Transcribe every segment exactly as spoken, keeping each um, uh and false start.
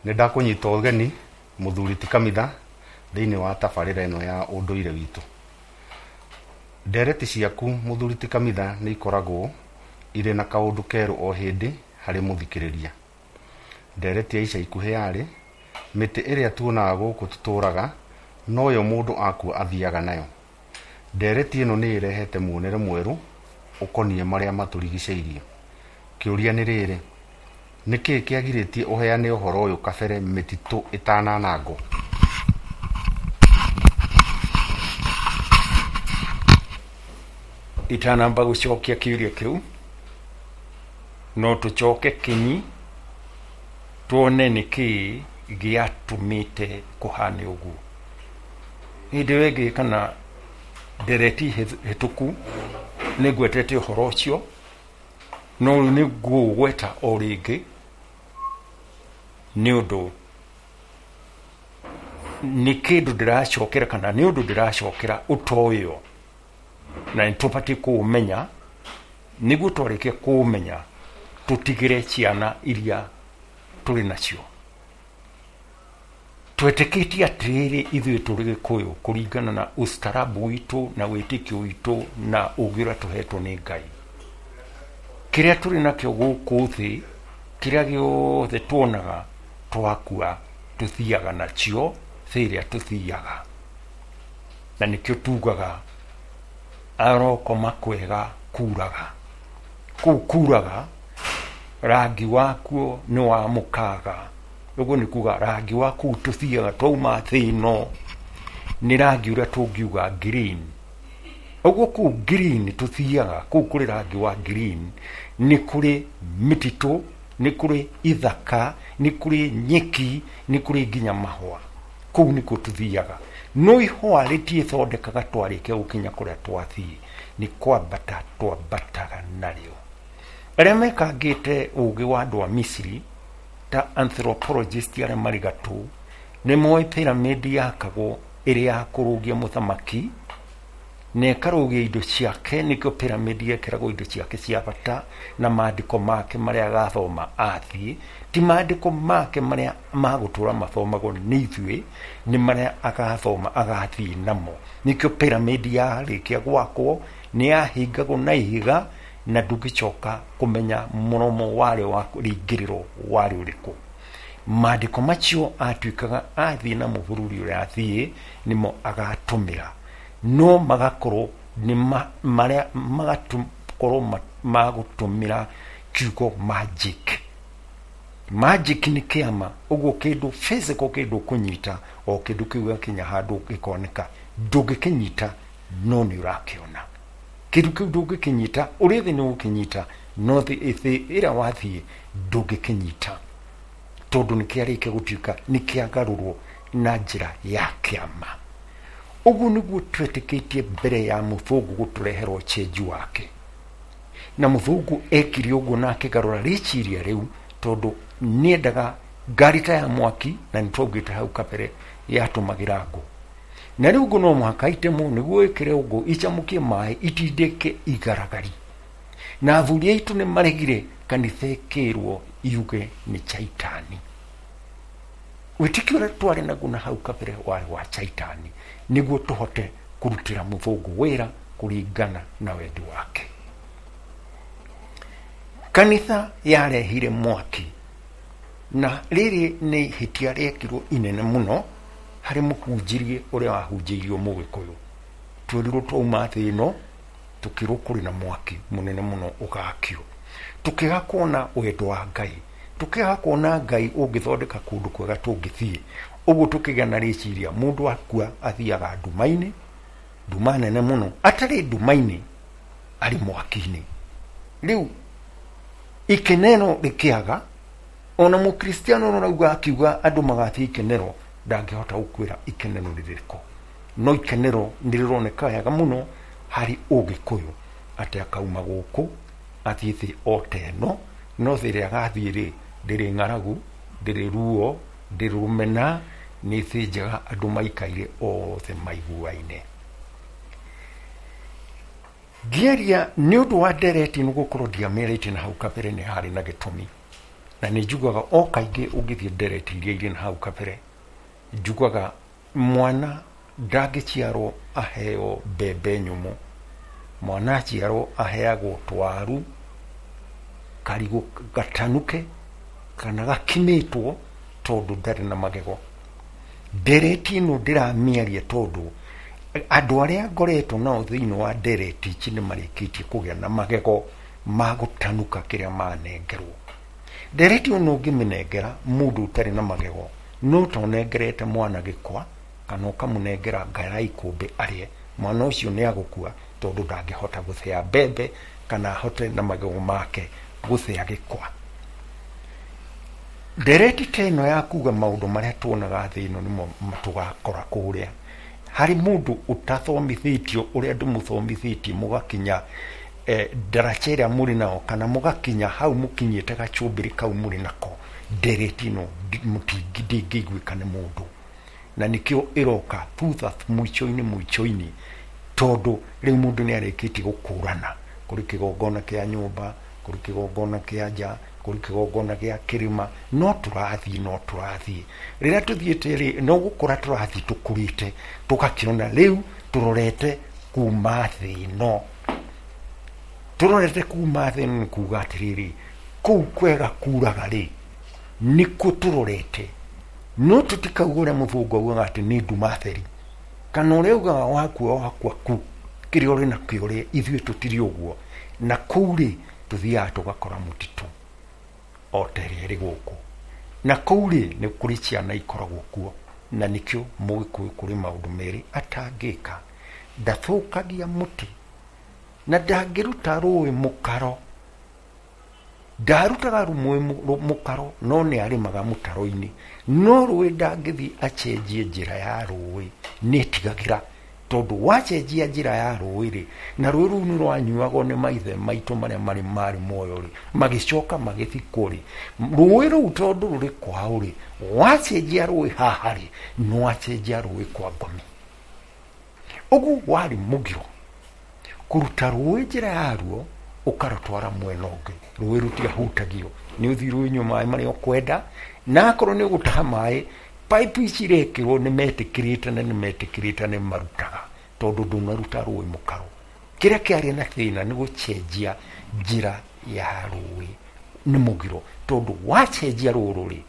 Nĩ ndakũnyita ũgeni mũthuri ti Kamitha thĩinĩ wa tabarĩra ĩno ya ũndũire witũ. Ndereti ciaku mũthuri ti Kamitha nĩ ikoragwo irĩ na kaũndũ kerũ o hĩndĩ harĩ mũthikĩrĩria. Ndereti ya ica ikuhĩ yarĩ mĩtĩ ĩrĩa tuonaga gũkũ tũtũraga noyo mũndũ akua athiaga nayo. Ndereti ĩno nĩ ĩrehete muonere mwerũ ũkoniĩ marĩa matũrigicĩirie. Kĩũria nĩ rĩrĩ, nĩkĩĩ kĩagirĩtie ũheane ũhoro ũyũ kabere mĩtitũ ĩtananangwo? Itanamba gũcokia kĩũria kĩu, no tũcoke kinyi tuone nĩkĩĩ gĩatũmĩte kũhane ũguo. Hĩndĩ ĩyo ĩngĩ kana ndereti hĩtũku nĩ ngwetete ũhoro ũcio, no rĩu nĩ ngũũgweta o rĩngĩ nĩ ũndũ nĩ kĩndũ ndĩracokera kana nĩ ũndũ ndĩracokera ũtoĩo na nĩ tũbatiĩ kũũmenya nĩguo twarĩkia kũũmenya tũtigĩre ciana iria tũrĩ nacio. Twetĩkĩtie atĩrĩrĩ ithuĩ tũrĩ Gĩkũyũ kũringana na ustaarabu witũ na wĩtĩkio witũ na ũũgĩ ũrĩa tũhetwo nĩ Ngai. Kĩrĩa tũrĩ nakĩo gũkũ thĩ, kĩrĩa gĩothe tuonaga twakua tũthiaga nakĩo thĩ ĩrĩa tũthiaga. Na nĩkĩo tugaga arokoma kwega kuraga. Kũu kuraga rangi wakuo nĩ wa mũkaga. Ũguo nĩ kuga rangi wa kũu tũthiaga twauma thĩ ĩno nĩ rangi ũrĩa tũngiuga green. Ũguo kũu green tũthiaga, kũu kũrĩ rangi wa green, nĩ kũrĩ mĩtitũ, nĩ kũrĩ ithaka, nĩ kũrĩ nyeki, nĩ kũrĩ nginya mahũa. Kũu nĩkuo tũthiaga. No ihũa rĩtiĩthondekaga twarĩkia gũkinya kũrĩa twathiĩ, nĩ kwambata twambataga narĩo. Arĩa mekangĩte ũũgĩ wa andũ a Misiri ta anthropologist arĩa marĩ gatũ nĩ moĩ pyramid yakagwo ĩrĩ ya kũrũgia mũthamaki na ĩkarũgia indo ciake, nĩkĩo pyramid yekĩragwo indo ciake cia bata na maandĩko make marĩa agathoma athiĩ, ti maandĩko make marĩa magũtũra mathomagwo nĩ ithuĩ, nĩ marĩa agathoma agathiĩ namo. Nĩkĩo pyramid yarĩkia gwakwo nĩ yahingagwo na ihiga na ndũngĩcoka kũmenya mũromo warĩo wa rĩingĩrĩro warĩ ũrĩkũ. Maandĩko macio atuĩkaga athiĩ namo bũrũri ũrĩa athiĩ nĩmo agatũmĩra, no magakorwo nĩ marĩa magakorwo magũtũmĩra kiugo magic. Magic nĩ kĩama, ũguo kĩndũ physical, kĩndũ ũkũnyita o kĩndũ kĩu gĩakinya handũ gĩkoneka, ndũngĩkĩnyita no nĩ ũrakĩona. Kĩndũ kĩu ndũngĩkĩnyita, ũrĩ thĩ nĩ ũgũkĩnyita, no thĩ ĩrĩa wathiĩ ndũngĩkĩnyita tondũ nĩ kĩarĩkia gũtuĩka nĩ kĩagarũrwo na njĩra ya kĩama. Ũguo nĩguo twetĩkĩtie mbere ya mũthũngũ gũtũrehera ũcenji wake. Na mũthũngũ ekire ũguo na akĩgarũra rĩciria rĩu tondũ nĩendaga ngari ta ya mwaki, na nĩ twaugĩte hau kabere yatũmagĩra ngũ. Na rĩu ngũ no mũhaka itemwo nĩguo ĩkĩre ngũ icamũkie maĩ itindĩke igaragari. Na athuri aitũ nĩ maregire kanitha ĩkĩrwo yuge nĩ chaitani. Wĩtĩkio ũrĩa twarĩ naguo na hau kabere warĩ wa chaitani nĩguo tũhote kũrutĩra mũthũngũ wĩra kũringana na wendi wake. Kanitha yarehire mwaki, na rĩrĩ nĩ ihĩtia rĩekirwo inene mũno harĩ mũhunjirie ũrĩa wahunjĩirio mũgĩkũyũ. Twerirwo twauma thĩ ĩno tũkĩrwo kũrĩ na mwaki mũnene mũno ũgakio. Tũkĩaga kuona wendo wa Ngai, tũkĩaga kuona Ngai ũngĩthondeka kũndũ kwega tũngĩthiĩ. Ũguo tũkĩgĩa na rĩciria mũndũ akua athiaga nduma-inĩ, nduma nene mũno, atarĩ nduma-inĩ arĩ mwaki-inĩ. Rĩu ikenero rĩkĩaga, ona mũkristiano ũrauga akiuga andũ magathiĩ ikenero ndangĩhota gũkwĩra ikenero rĩrĩkũ, no ikenero nĩ rĩroneka wega mũno harĩ ũgĩkũyũ atĩ akauma gũkũ athiĩ thĩ o ta ĩno, no thĩ ĩrĩa agathiĩ rĩ ndĩrĩ ng'aragu, ndĩrĩ ruo, ndĩrĩ rũmena, nĩ thĩ njega andũ maikaire othe maiguaine. Ngĩaria nĩ ũndũ wa ndereti nĩ gũkorwo ndiamĩarĩtie na hau kabere nĩ harĩ na gĩtũmi. Na nĩ njugaga o kaingĩ ũngĩthiĩ ndereti iria irĩ na hau kabere, njugaga mwana ndangĩciarwo aheo mbembe nyũmũ, mwana aciarwo aheagwo twaru, karigũ gatanuke kana gakimĩtwo tondũ ndarĩ na magego. Ndereti ĩno ndĩramĩaria tondũ andũ arĩa ngoretwo nao thĩinĩ wa ndereti ici nĩ marĩkĩtie kũgĩa na magego ma gũtanuka kĩrĩa manengerwo. Ndereti ĩno ũngĩmĩnengera mũndũ ũtarĩ na magego, no ta ũnengerete mwana gĩkwa kana ũkamũnengera nga ya ikũmbĩ arĩe, mwana ũcio nĩ agũkua tondũ ndangĩhota gũthĩa mbembe kana ahote na magego make gũthĩa gĩkwa. Ndereti ta ĩno ya kuga maũndũ marĩa tuonaga thĩ ĩno nĩmo tũgakora kũrĩa, harĩ mũndũ ũtathomithĩtio ũrĩa ndĩmũthomithĩtie mũgakinya eh, ndaraca ĩrĩa mũrĩ nao kana mũgakinya hau mũkinyĩte gacumbĩrĩ kau mũrĩ nako, ndereti ĩno ndĩngĩiguĩka nĩ mũndũ. Na nĩkĩo ĩroka thutha mũico-inĩ mũico-inĩ, tondũ rĩu mũndũ nĩ arĩkĩtie gũkũrana kũrĩ kĩgongona kĩa nyũmba, kũrĩ kĩgongona kĩa nja, kũrĩ kĩgongona gĩa kĩrĩma, no tũrathiĩ no tũrathiĩ. Rĩrĩa tũthiĩte rĩ, no gũkũra tũrathiĩ tũkũrĩte, tũgakĩona rĩu tũrorete kuma thĩ ĩno. Tũrorete kuma thĩ ĩno nĩ kuga atĩrĩrĩ, kũu kwega kuraga rĩ, nĩkuo tũrorete. No tũtikauga ũrĩa mũthũngũ augaga atĩ nĩ nduma theri, kana ũrĩa augaga wakua wakua ku, kĩrĩa ũrĩ nakĩo rĩ, ithuĩ tũtirĩ ũguo. Na kũu rĩ, tũthiaga tũgakora mũtitũ o ta ĩrĩa ĩrĩ gũkũ. Na kũu rĩ, nĩ kũrĩ ciana ikoragwo kuo, na nĩkĩo mũgĩkũyũ kũrĩ maũndũ merĩ atangĩka. Ndathũkagia mũtĩ na ndangĩruta rũĩ mũkaro. Ndarutaga rũĩ mũkaro, no nĩ arĩmaga mũtaro-inĩ. No rũĩ ndangĩthiĩ acenjie njĩra ya rũĩ, nĩ etigagĩra tondũ wacenjia njĩra ya rũĩ rĩ, na rũĩ rũu nĩ rwanyuagwo nĩ maithe maitũ marĩa marĩ marĩ muoyo rĩ, magĩcoka magĩthikwo rĩ, rũĩ rũu tondũ rũrĩ kwao rĩ, wacenjia rũĩ haha rĩ, nĩ wacenjia rũĩ kwa ngomi. Ũguo warĩ mũgiro kũruta rũĩ njĩra yaruo ũkarũtwara mwena ũngĩ. Rũĩ rũtiahutagio, nĩ ũthiĩ rũnyue maĩ marĩa ũkwenda, na akorwo nĩ ũgũtaha maĩ, pipe ici irekĩrwo nĩ metĩkĩrĩte na nĩ metĩkĩrĩte nĩ marutaga, tondũ ndũnaruta rũĩ mũkaro. Kĩrĩa kĩarĩ na thĩna nĩ gũcenjia njĩra ya rũĩ nĩ mũgiro, tondũ wacenjia rũrũ rĩ,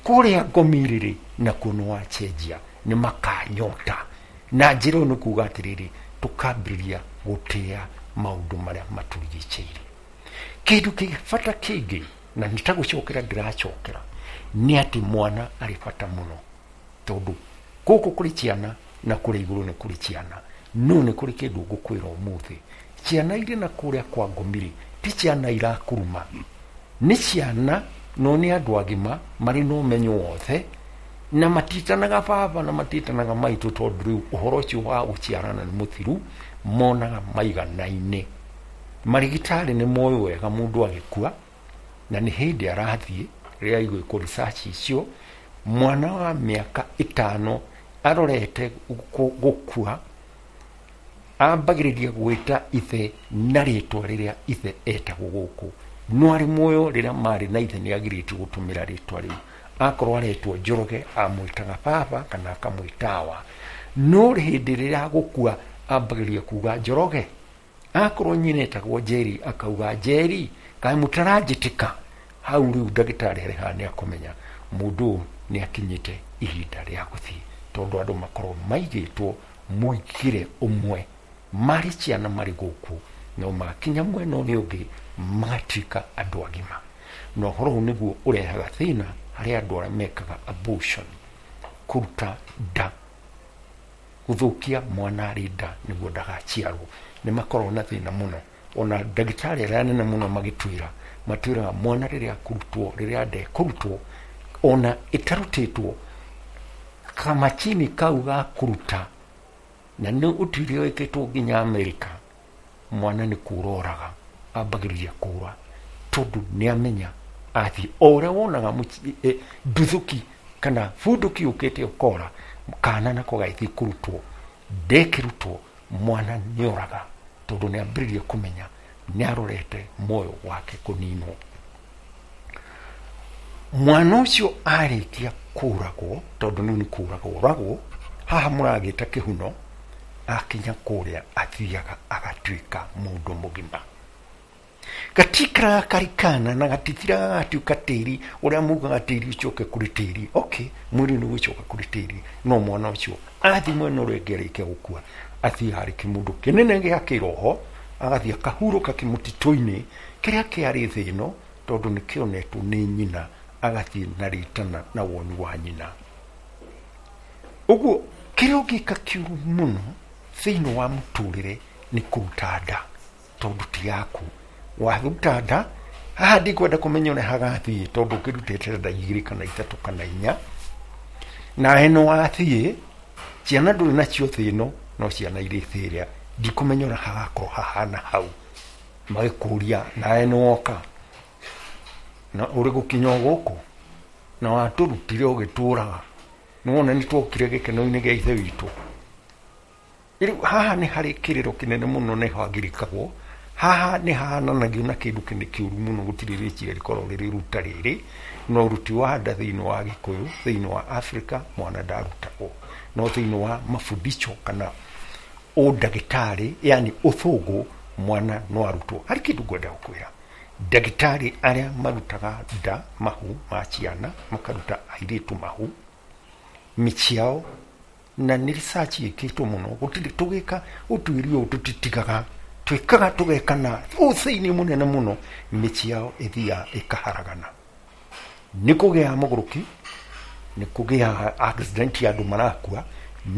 kũrĩa ngomi rĩ, nakuo nĩ wacenjia, nĩ makanyota. Na njĩra ĩyo nĩ kuga atĩrĩrĩ, tũkambĩrĩria gũtĩa maũndũ marĩa matũrigicĩirie. Kĩndũ kĩ bata kĩngĩ, na nĩ ta gũcokera ndĩracokera, nĩ atĩ mwana arĩ bata mũno, tondũ gũkũ kũrĩ ciana na kũrĩa igũrũ nĩ kũrĩ ciana. No nĩ kũrĩ kĩndũ ngũkwĩra ũmũthĩ, ciana irĩ na kũrĩa kwa ngomi rĩ, ti ciana irakuruma, nĩ ciana no nĩ andũ agima marĩ na ũmenyo wothe, na matitanaga baba na matitanaga maitũ, tondũ rĩu ũhoro ũcio wa gũciarana nĩ mũthiru, monaga maiganaine. Marigitari nĩ moĩ wega mũndũ agĩkua, na nĩ hĩndĩ arathiĩ rĩrĩa igwĩkwo research icio, mwana wa mĩaka ĩtano arorete gũkua, ambagĩrĩria gwĩta ithe na rĩtwa rĩrĩa ithe etagwo gũkũ. No arĩ muoyo rĩrĩa marĩ na ithe nĩ agirĩtio gũtũmĩra rĩtwa rĩu. Akorwo aretwo Njoroge amwĩtaga baba kana akamwĩta awa. No hĩndĩ rĩrĩa agũkua ambagĩrĩria kuga Njoroge. Akorwo nyina etagwo Njeri akauga Njeri, kaĩ mũtaranjĩtĩka. Hau rĩu ndagĩtarĩ arĩ haha nĩ akũmenya mũndũ ũyũ nĩ akinyĩte ihinda rĩa gũthiĩ, tondũ andũ makorwo maigĩtwo mũingĩre ũmwe marĩ ciana marĩ gũkũ, no makinya mwena ũrĩa ũngĩ magatuĩka andũ agima. Na ũhoro ũyũ nĩguo ũrehaga thĩna harĩ andũ arĩa mekaga abortion, kũruta nda, gũthũkia mwana arĩ nda nĩguo ndagaciarwo. Nĩ makoragwo na thĩna mũno. Ona ndagĩtarĩ arĩa anene mũno magĩtwĩra, matwĩraga mwana rĩrĩa akũrutwo, rĩrĩa nda ĩkũrutwo, ona ĩtarutĩtwo, kamachini kau ga kũruta, na nĩ ũtuĩria wĩkĩtwo nginya Amerika, mwana nĩ kũra oraga, ambagĩrĩria kũra, tondũ nĩ amenya athiĩ. O ũrĩa wonaga nduthũki kana bunduki yũkĩte ũkora, kana nako gagĩthiĩ kũrutwo, ndekĩrutwo, mwana nĩ oraga, tondũ nĩ ambĩrĩria kũmenya nĩ arorete muoyo wake kũninwo. Mwana ũcio arĩkia kũragwo, tondũ rĩu nĩ kũragwo oragwo, haha mũragĩta kĩhuno, akinya kũrĩa athiaga agatuĩka mũndũ mũgima. Gatikaraga karĩ kana na gatitiraga gatuĩka tĩri ũrĩa mugaga tĩri ũcoke kũrĩ tĩri. Okay, mwĩrĩ nĩ ũgũcoka kũrĩ tĩri, no mwana ũcio athiĩ mwena ũrĩa ũngĩ arĩkia gũkua, athiĩ harĩ kĩmũndũ kĩnene gĩa kĩroho, agathiĩ akahurũka kĩmũtitũ-inĩ kĩrĩa kĩarĩ thĩ ĩno, tondũ nĩ kĩonetwo nĩ nyina, agathiĩ na rĩtana na woni wa nyina. Ũguo kĩrĩa ũngĩka kĩũru mũno thĩinĩ wa mũtũrĩre nĩ kũruta nda, tondũ ti yaku. Waruta nda, haha ndikwenda kũmenya ũrĩa hagathiĩ, tondũ ũkĩrutĩte nda igĩrĩ kana ithatũ kana inya, na ĩno wathiĩ, ciana ndũrĩ nacio thĩ ĩno, no ciana irĩ thĩ ĩrĩa, ndikũmenya ũrĩa hagakorwo hahana hau. Magĩkũria nawe nĩwoka, na ũrĩ gũkinya o gũkũ, na watũrutire ũgĩtũraga, nĩwona nĩtwokire gĩkeno-inĩ gĩa ithe witũ. Rĩu haha nĩ harĩ kĩrĩro kĩnene mũno nĩ hagirĩkagwo, haha nĩ hahananagio na kĩndũ kĩnene kĩũru mũno, gũtirĩ rĩciria rĩkoragwo rĩrĩ ruta rĩrĩ, na ũruti wa nda thĩinĩ wa Gĩkũyũ, thĩinĩ wa Afrika, mwana ndarutagwo, no thĩinĩ wa mafundisho kana ũndagĩtarĩ, yani ũthũngũ, mwana no arutwo. Harĩ kĩndũ ngwenda gũkwĩra, ndagĩtarĩ arĩa marutaga nda mahu ma ciana, makaruta airĩtu mahu mĩciĩ na nĩ research ĩkĩtwo mũno, gũtirĩ tũgĩka ũtuĩria ũyũ tũtitigaga, twĩkaga tũgekana ũthĩinĩ mũnene mũno, mĩciĩ yao ĩthiaga ĩkaharagana. Nĩ kũgĩaga mũgũrũki, nĩ kũgĩaga accident ya andũ marakua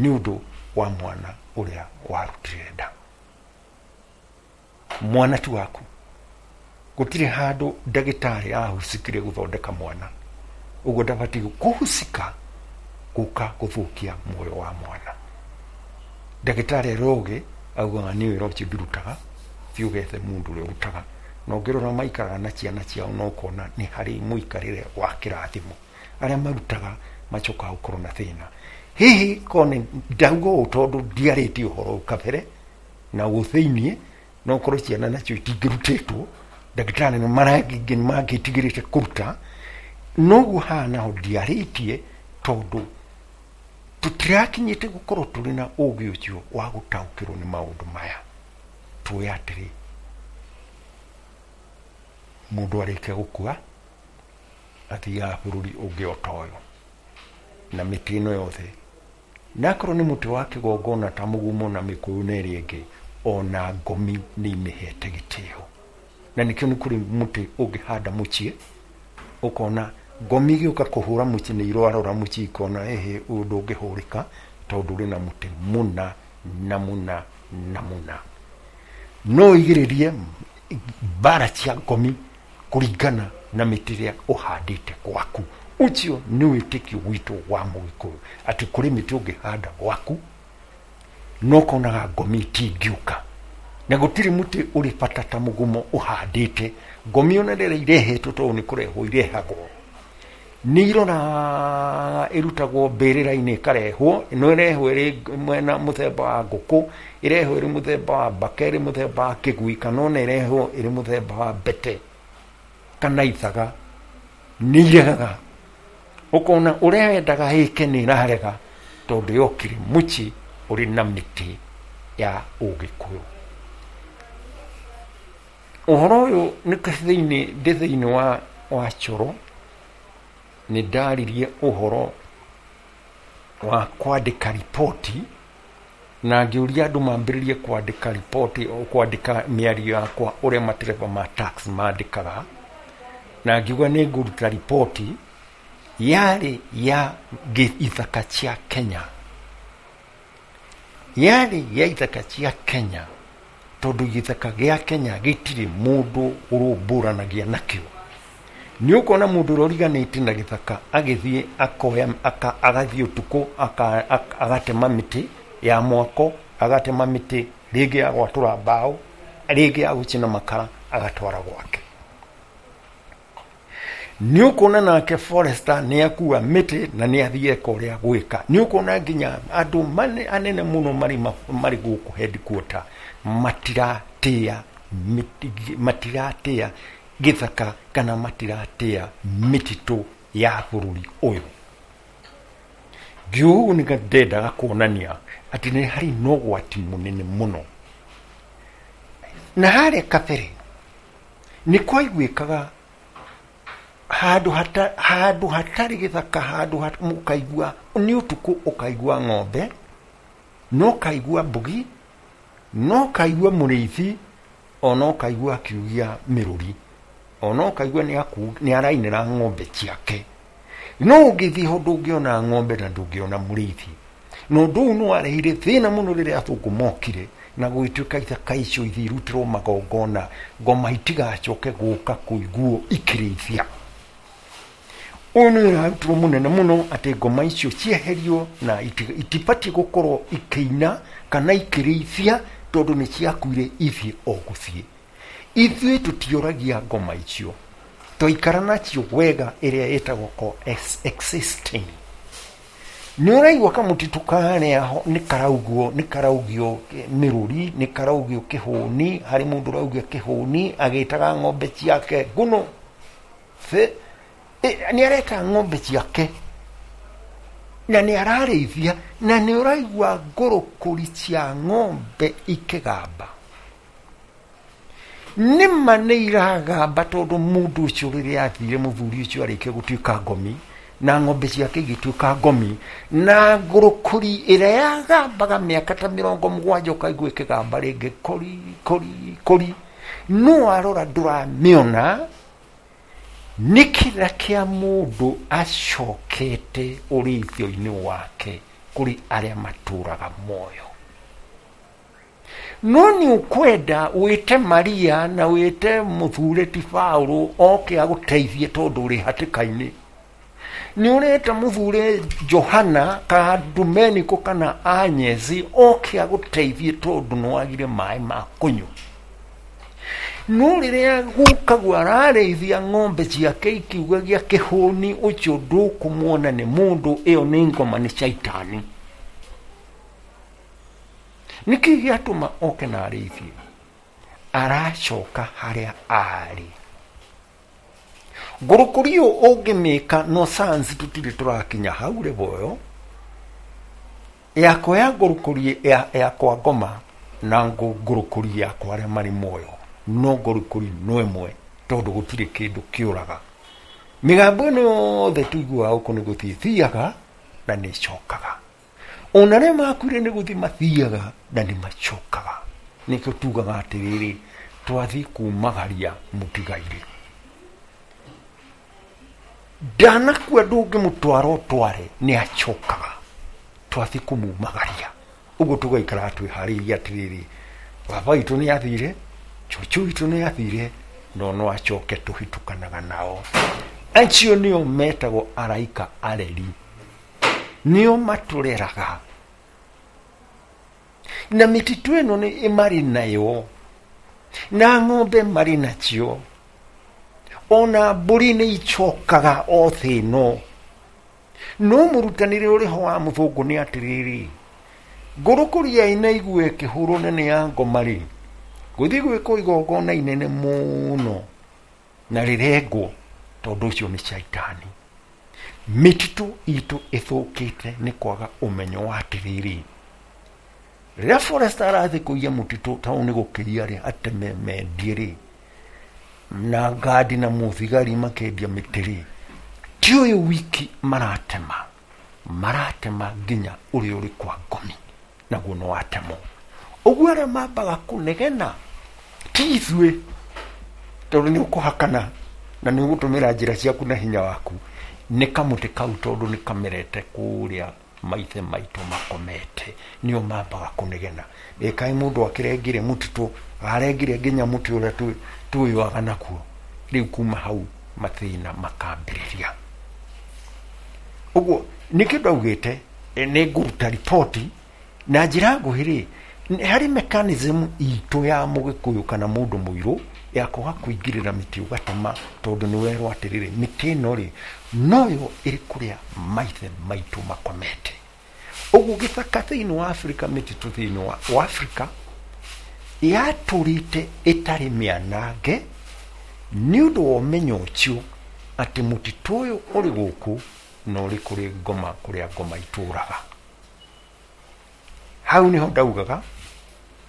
nĩ ũndũ wa mwana ũrĩa warutire nda. Mwana ti waku. Gũtirĩ handũ ndagĩtarĩ ahucikire gũthondeka mwana, ũguo ndabatiĩ kũhucika gũka gũthũkia muoyo wa mwana. Ndagĩtarĩ aroge augaga nĩ wĩra ũcio ndirutaga, thiĩ ũgethe mũndũ ũrĩa ũrutaga. Na ũngĩrora maikaraga na ciana ciao na ũkona nĩ harĩ mũikarĩre wa kĩrathimo. Arĩa marutaga macokaga gũkorwo na thĩna. Hihi korwo nĩ ndauga ũũ tondũ ndiarĩtie ũhoro ũyũ kabere na ũthĩiniĩ, no ũkorwo ciana nacio itingĩrutĩtwo, ndagĩtarĩ nĩ mangĩtigĩrĩte kũruta, noguo haha naho ndiarĩtie tondũ tũtirakinyĩte gũkorwo tũrĩ na ũgĩ ũcio wa gũtaũkĩrwo nĩ maũndũ maya. Tuoe atĩrĩ, mũndũ arĩkia gũkua athiaga bũrũri ũngĩ o ta ũyũ na mĩtĩ ĩno yothe, na akorwo nĩ mũtĩ wa kĩgongona ta mũgumo na mĩkũyũ na ĩrĩa ĩngĩ, ona ngomi nĩ imĩhete gĩtĩo. Na nĩkĩo nĩ kũrĩ mũtĩ ũngĩhanda mũciĩ, ũkona ngomi igĩũka kũhũra mũciĩ nĩ irwarora mũciĩ ikona ĩhĩ ũyũ ndũngĩhũrĩka tondũ ũrĩ na mũtĩ mũna na mũna na mũna. No igĩrĩrie mbara cia ngomi kũringana na mĩtĩ ĩrĩa ũhandĩte gwaku. Ũcio nĩ wĩtĩkio witũ wa Mũgĩkũyũ, atĩ kũrĩ mĩtĩ ũngĩhanda gwaku no ũkonaga ngomi itingĩũka, na gũtirĩ mũtĩ ũrĩ bata ta mũgumo ũhandĩte. Ngomi ona rĩrĩa irehetwo tondũ nĩ kũrehwo irehagwo, nĩ iroraga ĩrutagwo mbĩrĩra-inĩ ĩkarehwo, no ĩrehwo ĩrĩ mwena mũthemba wa ngũkũ, ĩrehwo ĩrĩ mũthemba wa mbaka, ĩrĩ mũthemba wa kĩgui, kana ona ĩrehwo ĩrĩ mũthemba wa mbete kana ithaga, nĩ iregaga. Ũkona ũrĩa wendaga ĩke nĩ ĩrarega tondũ yokire mũciĩ ũrĩ na mĩtĩ ya Ũgĩkũyũ. Ũhoro ũyũ nĩ thĩinĩ ndĩ thĩinĩ wa wa coro, nĩ ndaririe ũhoro wa kwandĩka riboti, na ngĩũria andũ mambĩrĩrie kwandĩka riboti, kwandĩka mĩario yakwa ũrĩa matereba ma tax mandĩkaga, na ngiuga nĩ ngũruta riboti yarĩ ya ithaka cia Kenya, yarĩ ya ithaka cia Kenya, tondũ gĩthaka gĩa Kenya gĩtirĩ mũndũ ũrũmbũranagia nakĩo. Nĩ ũkuona mũndũ ũrĩa ũriganĩtie na gĩthaka agĩthiĩ akoya agathiĩ ũtukũ agatema mĩtĩ ya mwako, agatema mĩtĩ rĩngĩ ya gwatũra mbaũ, rĩngĩ ya gũcina makara, agatwara gwake. Nĩ ũkuona nake forester nĩ akua mĩtĩ na nĩ athiĩ eka ũrĩa gwĩka. Nĩ ũkuona nginya andũ anene mũno marĩ marĩ gũkũ headquarter matiratĩa matiratĩa gĩthaka kana matiratĩa mĩtitũ ya bũrũri ũyũ. Ngiuga ũguo nĩ ndendaga kuonania atĩ nĩ harĩ na ũgwati mũnene mũno. Na harĩa kabere nĩ kwaiguĩkaga handũ hata, handũ hatarĩ gĩthaka, handũ hat, ũkaigua nĩ ũtukũ, ũkaigua ng'ombe, no ũkaigua mbugi, no ũkaigua mũrĩithi, ona ũkaigua akiugia mĩrũri, ona ũkaigua nĩ arainĩra ng'ombe ciake. No ũngĩthiĩ ho ndũngĩona ng'ombe na ndũngĩona mũrĩithi. Na ũndũ ũyũ nĩ warehire thĩna mũno rĩrĩa athũngũ mokire na gũgĩtuĩka ithaka icio ithiĩ irutĩrwo magongona, ngoma itigacoke gũka kũiguo ikĩrĩithia. Ũyũ nĩ ũrarutirwo mũnene mũno atĩ ngoma icio cieherio na itibatiĩ gũkorwo ikĩina kana ikĩrĩithia tondũ nĩ ciakuire ithiĩ o gũthiĩ. Ithuĩ tũtioragia ngoma icio, twaikara nacio wega ĩrĩa ĩtagwo co-existing. Nĩ ũraigua kamũtitũ karĩa ho nĩ karaugwo, nĩ karaugio mĩrũri, nĩ karaugio kĩhũni, harĩ mũndũ ũraugia kĩhũni agĩtaga ng'ombe ciake nguno. Nĩ areta ng'ombe ciake na nĩ ararĩithia, na nĩ ũraigua ngũrũkũri cia ng'ombe ikĩgamba. Nĩma nĩ iragamba tondũ mũndũ ũcio rĩrĩa athire, mũthuri ũcio arĩkia gũtuĩka ngomi na ng'ombe ciake igĩtuĩka ngomi, na ngũrũkũri ĩrĩa yagambaga mĩaka ta mĩrongo mũgwanja ũkaigua ĩkĩgamba rĩngĩ kori kori kori, no arora ndũramĩona. Nĩ kĩrĩra kĩa mũndũ acokete ũrĩithio-inĩ wake kũrĩ arĩa matũraga muoyo. No nĩ ũkwenda wĩte Maria na wĩte mũthure ti Paũlũ oke agũteithie tondũ ũrĩ hatĩka-inĩ. Nĩ ũreta mũthure Johana ka Domeniko kana Anyezi oke agũteithie tondũ nĩ wagire maĩ ma kũnyua. No rĩrĩa gũkagwo ararĩithia ng'ombe ciake ikiugagia kĩhũni, ũcio ndũkũmuona nĩ mũndũ, ĩyo nĩ ngoma, nĩ caitani. Nĩkĩ gĩatũma oke na arĩithie? Aracoka harĩa arĩ. Ngũrũkũri ũyũ ũngĩmĩka no science tũtirĩ tũrakinya hau rĩboyo yakwa ya ngũrũkũri ya, ya kwa ngoma na ngũrũkũri yakwa arĩa marĩ muoyo, no ngũrũkũri no ĩmwe tondũ gũtirĩ kĩndũ kĩũraga. Mĩgambo ĩno yothe tũiguaga gũkũ nĩ gũthiĩ thiaga na nĩ ĩcokaga. Ona arĩa makuire nĩ gũthiĩ mathiaga na nĩ macokaga. Nĩkĩo tugaga atĩrĩrĩ, twathiĩ kumagaria mũtigairĩ. Ndanakua ndũngĩmũtwara ũtware, nĩ acokaga. Twathiĩ kũmumagaria. Ũguo tũgaikara twĩharĩirie atĩrĩrĩ, baba witũ nĩ athire, cũcũ witũ nĩ athire, no no acoke tũhĩtũkanaga nao. Acio nĩo metagwo araika areri, nĩo matũreraga. Na mĩtitũ ĩno nĩ marĩ nayo, na ng'ombe marĩ nacio, ona mbũri nĩ icokaga o thĩ ĩno. No mũrutanĩre ũrĩ ho wa mũthũngũ nĩ atĩrĩrĩ, ngũrũkũri ya ĩna igue ĩkĩhũrwo nene ya ngoma rĩ, gũthiĩ gwĩkwo igongona inene mũno na rĩrengwo tondũ ũcio nĩ caitani. Mĩtitũ itũ ĩthũkĩte nĩ kwaga ũmenyo wa atĩrĩrĩ, rĩrĩa forester arathiĩ kũiya mũtitũ tau nĩ gũkĩria rĩ, ateme mendie rĩ, na ngandi na mũthigari makendia mĩtĩ rĩ, ti ũyũ wiki maratema, maratema nginya ũrĩa ũrĩ kwa ngomi, naguo no watemwo. Ũguo arĩa mambaga kũnegena ti ithuĩ, tondũ nĩ ũkũhakana na nĩ ũgũtũmĩra njĩra ciaku na hinya waku, nĩ kamũtĩ kau tondũ nĩ kamerete kũrĩa maithe maitũ makomete, nĩo mambaga kũnegena. Ĩ kaĩ mũndũ akĩrengire mũtitũ, arengire nginya mũtĩ ũrĩa twĩyoaga nakuo. Rĩu kuma hau mathĩna makambĩrĩria. Ũguo nĩkĩo ndaugĩte nĩ ngũruta riboti na njĩra nguhĩ rĩ, harĩ mechanism itũ ya mũgĩkũyũ kana mũndũ mũirũ ya kwaga kũingĩrĩra mĩtĩ ũgatema, tondũ nĩ werwo atĩrĩrĩ, mĩtĩ ĩno rĩ noyo ĩrĩ kũrĩa maithe maitũ makomete. Ũguo gĩthaka thĩinĩ wa Afrika, mĩtitũ thĩinĩ wa Afrika yatũrĩte ĩtarĩ mĩanange nĩ ũndũ wa ũmenyo ũcio atĩ mũtitũ ũyũ ũrĩ gũkũ na ũrĩ kũrĩ ngoma kũrĩa ngoma itũraga. Hau nĩho ndaugaga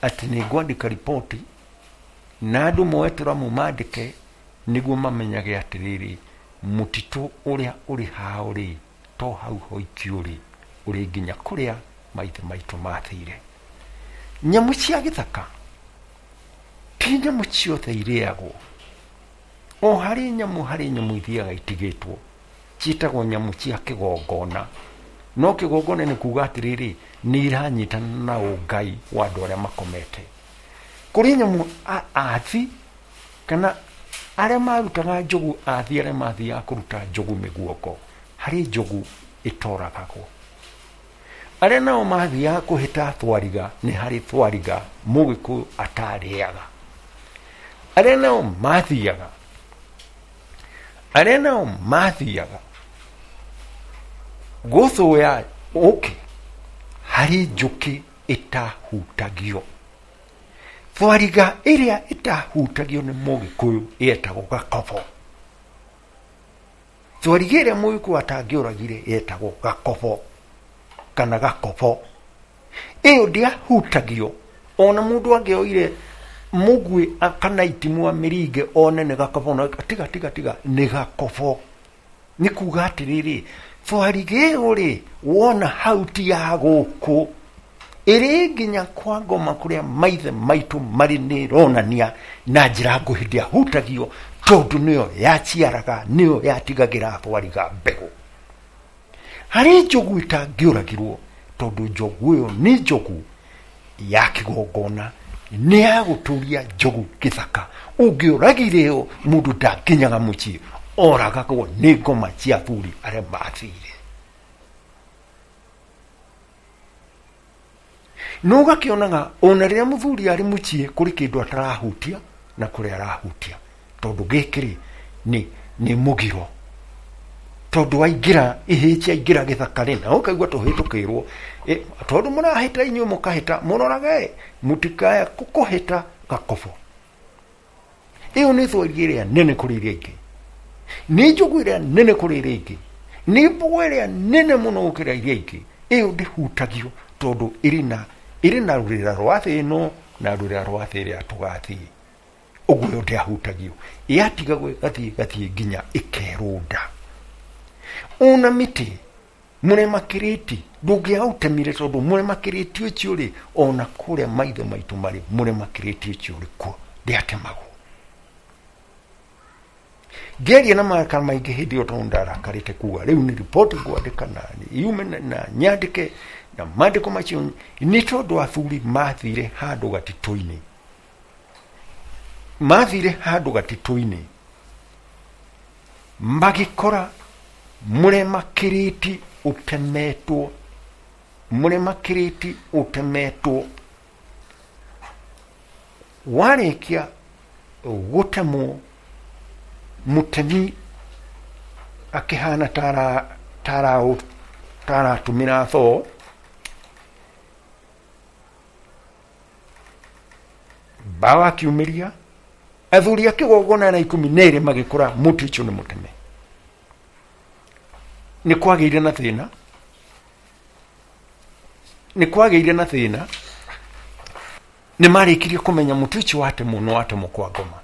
atĩ nĩ ngwandĩka riboti na andũ moe tũramu mandĩke nĩguo mamenyage atĩrĩrĩ mũtitũ ũrĩa ũrĩ hao rĩ to hau hoiki ũrĩ ũrĩ nginya kũrĩa maithe maitũ mathire. Nyamũ cia gĩthaka ti nyamũ ciothe irĩagwo. O harĩ nyamũ harĩ nyamũ ithiaga itigĩtwo ciĩtagwo nyamũ cia kĩgongona. No kĩgongona nĩ kuga atĩrĩrĩ nĩ iranyitana na ũngai wa andũ arĩa makomete. Kũrĩ nyamũ athi kana arĩa marutaga njogu, athi arĩa mathiaga kũruta njogu mĩguongo, harĩ njogu ĩtoragagwo. Arĩa nao mathiaga kũhĩta thwariga, nĩ harĩ thwariga mũgĩkũyũ atarĩaga. Arĩa nao mathiaga arĩa nao mathiaga gũthũya ũkĩ, harĩ njũkĩ ĩtahutagio. Thwariga ĩrĩa ĩtahutagio nĩ mũgĩkũyũ ĩetagwo gakobo. Thwariga ĩrĩa mũgĩkũyũ atangĩũragire ĩetagwo gakobo kana gakobo. Ĩyo ndĩahutagio ona mũndũ angĩoire mũguĩ kana itimũ amĩringe one nĩ gakobo, na tiga tiga tiga nĩ gakobo. Nĩ kuga atĩrĩrĩ thwariga ĩyo rĩ wona hau ti ya gũkũ ĩrĩ nginya kwa ngoma kũrĩa maithe maitũ marĩ nĩ ĩronania na njĩra nguhĩ ndĩahutagio tondũ nĩyo yaciaraga, nĩyo yatigagĩra thwariga mbegũ. Harĩ njogu ĩtangĩũragirwo tondũ njogu ĩyo nĩ njogu ya kĩgongona, nĩ ya gũtũria njogu gĩthaka. Ũngĩũragire ĩyo mũndũ ndakinyaga mũciĩ, oragagwo nĩ ngoma cia athuri arĩa mathire. No ũgakĩonaga ona rĩrĩa mũthuri arĩ mũciĩ kũrĩ kĩndũ atarahutia na kũrĩa arahutia, tondũ gĩkĩ rĩ nĩ nĩ mũgiro. Tondũ waingĩra ihĩ ciaingĩra gĩthaka rĩ na ũkaigua tũhĩtũkĩirwo, tondũ mũrahĩta inyuĩ mũkahĩta, mũrorage mũtikaya kũhĩta gakobo. Ĩyo nĩ thwariga ĩrĩa nene kũrĩ iria ingĩ, nĩ njogu ĩrĩa nene kũrĩ iria ingĩ, nĩ mbogo ĩrĩa nene mũno gũkĩra iria ingĩ. Ĩyo ndĩhutagio tondũ ĩrĩ na ĩrĩ na rũrĩra rwa thĩ ĩno na rũrĩra rwa thĩ ĩrĩa tũgathiĩ. Ũguo ĩyo ndĩahutagio, yatigagwo ĩgathiĩ ĩgathiĩ nginya ĩkerũnda. Ona mĩtĩ mũrema kĩrĩti ndũngĩaũtemire tondũ mũrema kĩrĩti ũcio rĩ ona kũrĩa maithe maitũ marĩ mũrema kĩrĩti ũcio ũrĩ kuo ndĩatemagwo. Ngĩaria na marakara maingĩ hĩndĩ ĩyo tondũ ndarakarĩte kuga rĩu nĩ riboti ngwandĩka na yume na nyandĩke na mandĩko macio nĩ tondũ athuri mathire handũ gatitũ-inĩ, mathire handũ gatitũ-inĩ magĩkora mũrema kĩrĩti ũtemetwo, mũrema kĩrĩti ũtemetwo. Warĩkia gũtemwo mũtemi akĩhana tara tara taratũmĩra thoo, mbaũ akiumĩria athuri a kĩgongona na ikũmi na ĩrĩ magĩkora mũtĩ ũcio nĩ mũteme. Nĩ kwagĩire na thĩna, nĩ kwagĩire na thĩna, nĩ marĩkirie kũmenya mũtĩ ũcio watemwo no watemwo kwa ngoma,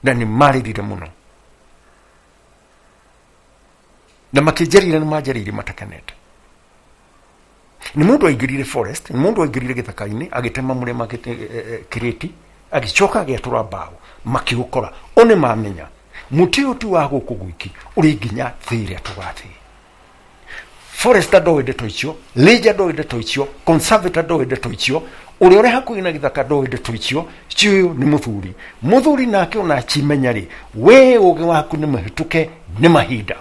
na nĩ marĩrire mũno na makĩnjarĩria nĩ manjarĩirie matakenete. Nĩ mũndũ aingĩrire forest, nĩ mũndũ aingĩrire gĩthaka-inĩ agĩtema mũrema kĩrĩti, agĩcoka agĩatũra mbaũ makĩũkora. O nĩ mamenya mũtĩ ũyũ ti wa gũkũ gwiki, ũrĩ nginya thĩ ĩrĩa tũgathiĩ. Forester ndoĩ ndeto icio, ranger ndoĩ ndeto icio, conservator ndoĩ ndeto icio, ũrĩa ũrĩ hakuhĩ na gĩthaka ndoĩ ndeto icio. Ũyũ nĩ mũthuri, mũthuri nake ona akimenya rĩ, we ũgĩ waku nĩ mũhĩtũke nĩ mahinda.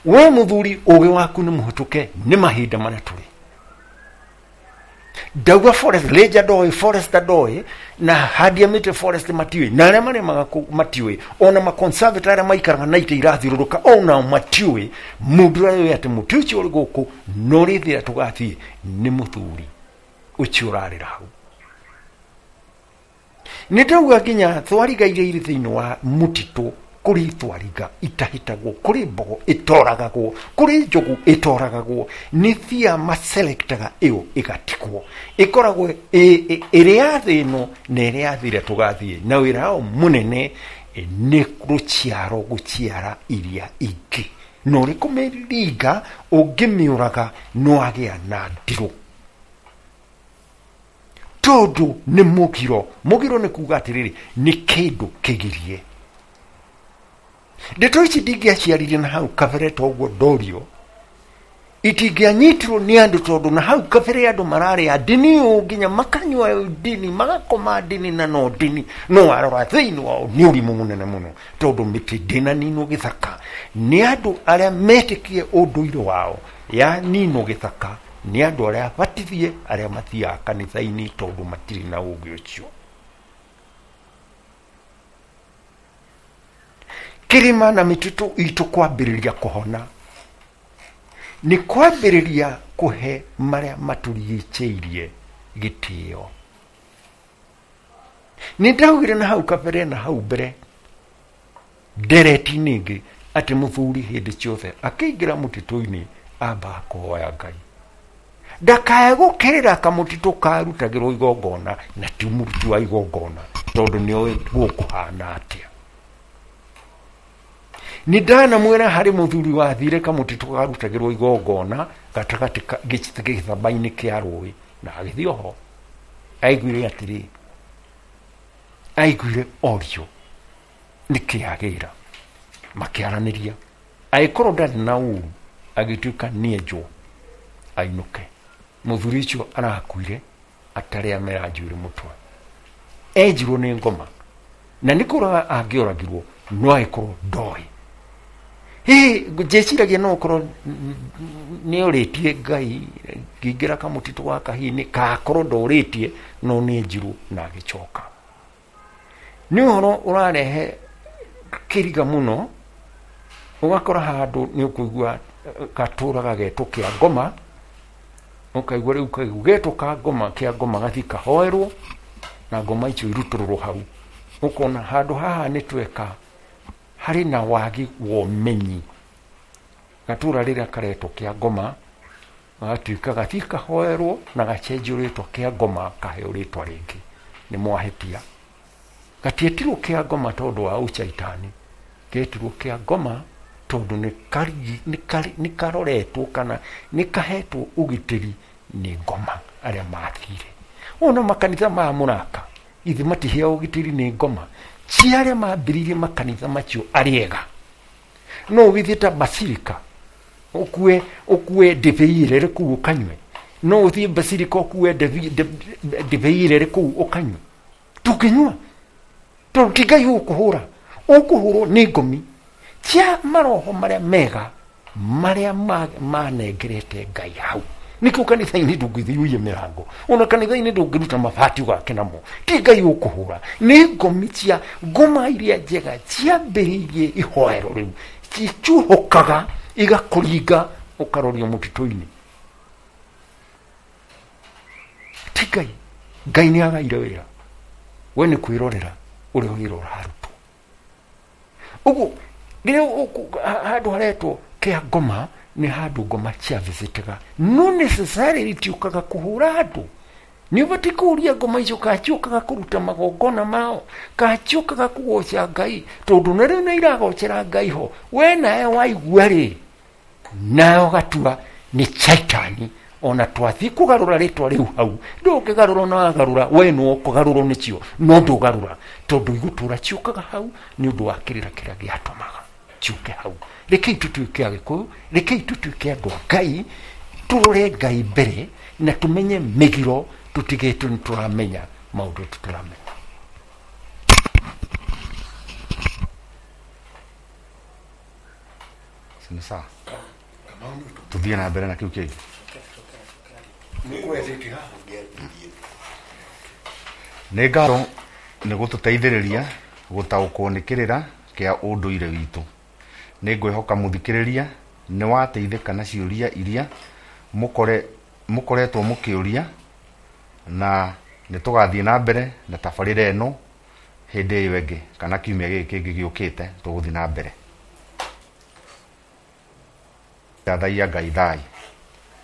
We mũthuri ũgĩ waku nĩ mũhĩtũke nĩ mahinda marĩa tũrĩ. Ndauga forest ranger ndoĩ, forester ndoĩ, na handia mĩtĩ forest matiũĩ, na arĩa marĩmaga kũu matiũĩ, ona maconservator arĩa maikaraga na itĩ irathiũrũrũka onao matiũĩ. Mũndũ ũrĩa ũĩ atĩ mũtĩ ũcio ũrĩ gũkũ na ũrĩ thĩ ĩrĩa tũgathiĩ nĩ mũthuri ũcio ũrarĩra hau. Nĩ ndauga nginya thwariga iria irĩ thĩinĩ wa mũtitũ, kũrĩ thwariga itahĩtagwo, kũrĩ mbogo ĩtoragagwo, kũrĩ njogu ĩtoragagwo, nĩ thia maselektaga ĩyo ĩgatigwo, ĩkoragwo ĩrĩ ya thĩ ĩno na ĩrĩ ya thĩ ĩrĩa tũgathiĩ. Na wĩra wao mũnene nĩ rũciaro gũciara iria ingĩ, na ũrĩ kũmĩringa ũngĩmĩũraga no agĩa na ndirũ, tondũ nĩ mũgiro. Mũgiro nĩ kuga atĩrĩrĩ, nĩ kĩndũ kĩgirie. Ndeto ici ndingĩaciarire na hau kabere toguo ndorio, itingĩanyitirwo nĩ andũ, tondũ na hau kabere andũ mararĩa ndini ũũ nginya makanyua ndini, magakoma ndini na no ndini, no warora thĩinĩ wao nĩ ũrimũ mũnene mũno, tondũ mĩtĩ ndĩnaninwo gĩthaka nĩ andũ arĩa metĩkie ũndũire wao ya ninwo gĩthaka nĩ andũ arĩa batithie, arĩa mathiaga kanitha-inĩ, tondũ matirĩ na ũũgĩ ũcio. Kĩrĩma na mĩtitũ itũ kwambĩrĩria kũhona nĩ kwambĩrĩria kũhe marĩa matũrigicĩirie gĩtĩo. Nĩ ndaugire na hau kabere na hau mbere ndereti-inĩ ĩngĩ atĩ mũthuri hĩndĩ ciothe akĩingĩra mũtitũ-inĩ ambaga kũhoya Ngai, ndakae gũkĩrĩra kamũtitũ karutagĩrwo igongona na ti mũruti wa igongona, tondũ nĩoĩ gũkũhana atĩa. Nĩ ndanamwĩra harĩ mũthuri wathire kamũtitũ karutagĩrwo igongona gatagatĩ gĩthamba-inĩ kĩa rũĩ, na agĩthiĩ oho aiguire atĩrĩ, aiguire orio nĩkĩ agĩra, makĩaranĩria, agĩkorwo ndarĩ na ũru, agĩtuĩka nĩenjwo ainũke. Mũthuri ũcio arakuire atarĩ amera njuĩrĩ mũtwe, enjirwo nĩ ngoma, na nĩ kũraga angĩoragirwo no agĩkorwo ndoĩ. Hihi njĩciragia no ũkorwo nĩ orĩtie Ngai ngĩingĩra kamũtitũ gaka, hihi nĩ kakorwo ndorĩtie, no nĩ enjirwo na agĩcoka. Nĩ ũhoro ũrarehe kĩriga mũno, ũgakora handũ nĩ ũkũigua gatũra gagetwo kĩa ngoma, ũkaigua rĩu kaigua getwo ka ngoma, kĩa ngoma gathiĩ kahoerwo na ngoma icio irutũrũrwo hau. Ũkona handũ haha nĩ tweka harĩ na wagi wa ũmenyi. Gatũra rĩrĩa karetwo kĩa ngoma gagatuĩka gathiĩ kahoerwo na gacenjio rĩtwa kĩa ngoma kaheo rĩtwa rĩngĩ, nĩ mwahĩtia. Gatietirwo kĩa ngoma tondũ wa ũcaitani, getirwo kĩa ngoma tondũ nĩ karoretwo kana nĩ kahetwo ũgitĩri nĩ ngoma arĩa mathire. Ona makanitha maya mũraka ithe matiheagwo ũgitĩri nĩ ngoma, ci arĩa mambĩrĩirie makanitha macio arĩega. No ũgĩthiĩ ta basilika ũkue ũkue ndibei ĩrĩa ĩrĩ kũu ũkanyue, no ũthiĩ basilika ũkue ndibei ĩrĩa ĩrĩ kũu ũkanyue, ndũngĩnyua tondũ ti Ngai ũkũhũra, ũkũhũrwo nĩ ngomi cia maroho marĩa mega marĩa manengerete Ngai hau. Nĩkĩo kanitha-inĩ ndũngĩthiĩ ũiye mĩrango, ona kanitha-inĩ ndũngĩruta mabati ũgake namo, ti Ngai ũkũhũra, nĩ ngomi cia ngoma iria njega ciambĩrĩirie ihoero rĩu, cicuhũkaga igakũringa ũkarorio mũtitũ-inĩ. Ti Ngai. Ngai nĩ agaire wĩra, we nĩ kwĩrorera ũrĩa wĩra ũrarutwo. Ũguo rĩrĩa handũ haretwo kĩa ngoma nĩ handũ ngoma cia visitaga, no necessarily tiũkaga kũhũra andũ. Nĩ ũbatiĩ kũũria ngoma icio kana ciũkaga kũruta magongona mao, kana ciũkaga kũgoca Ngai, tondũ na rĩu nĩ iragocera Ngai ho, we nawe waigua rĩ, nawe ũgatua nĩ caitani. Ona twathiĩ kũgarũra rĩtwa rĩu hau, ndũngĩgarũra ona wagarũra, we no ũkũgarũrwo nĩcio, no ndũgarũra, tondũ igũtũra ciũkaga hau nĩ ũndũ wa kĩrĩra kĩrĩa gĩatũmaga ciũke hau. Rekei tũtuĩke Agĩkũyũ, rekei tũtuĩke andũ a Ngai, tũrore Ngai mbere na tũmenye mĩgiro, tũtigĩtwo nĩ tũramenya maũndũ tũtaramenya. Nĩ sawa, tũthiĩ na mbere na kĩu kĩngĩ. Nĩ ngatho nĩ gũtũteithĩrĩria gũtaũkwo nĩ kĩrĩra kĩa ũndũire witũ. Nĩ ngwĩhoka mũthikĩrĩria nĩ wateithĩka na ciũria iria mũkore mũkoretwo mũkĩũria, na nĩ tũgathiĩ na mbere na tabarĩra ĩno Hĩndĩ ĩyo ĩngĩ kana kiumia gĩkĩ kĩngĩ gĩũkĩte, tũgũthiĩ na mbere. Thathaiya Ngai thai.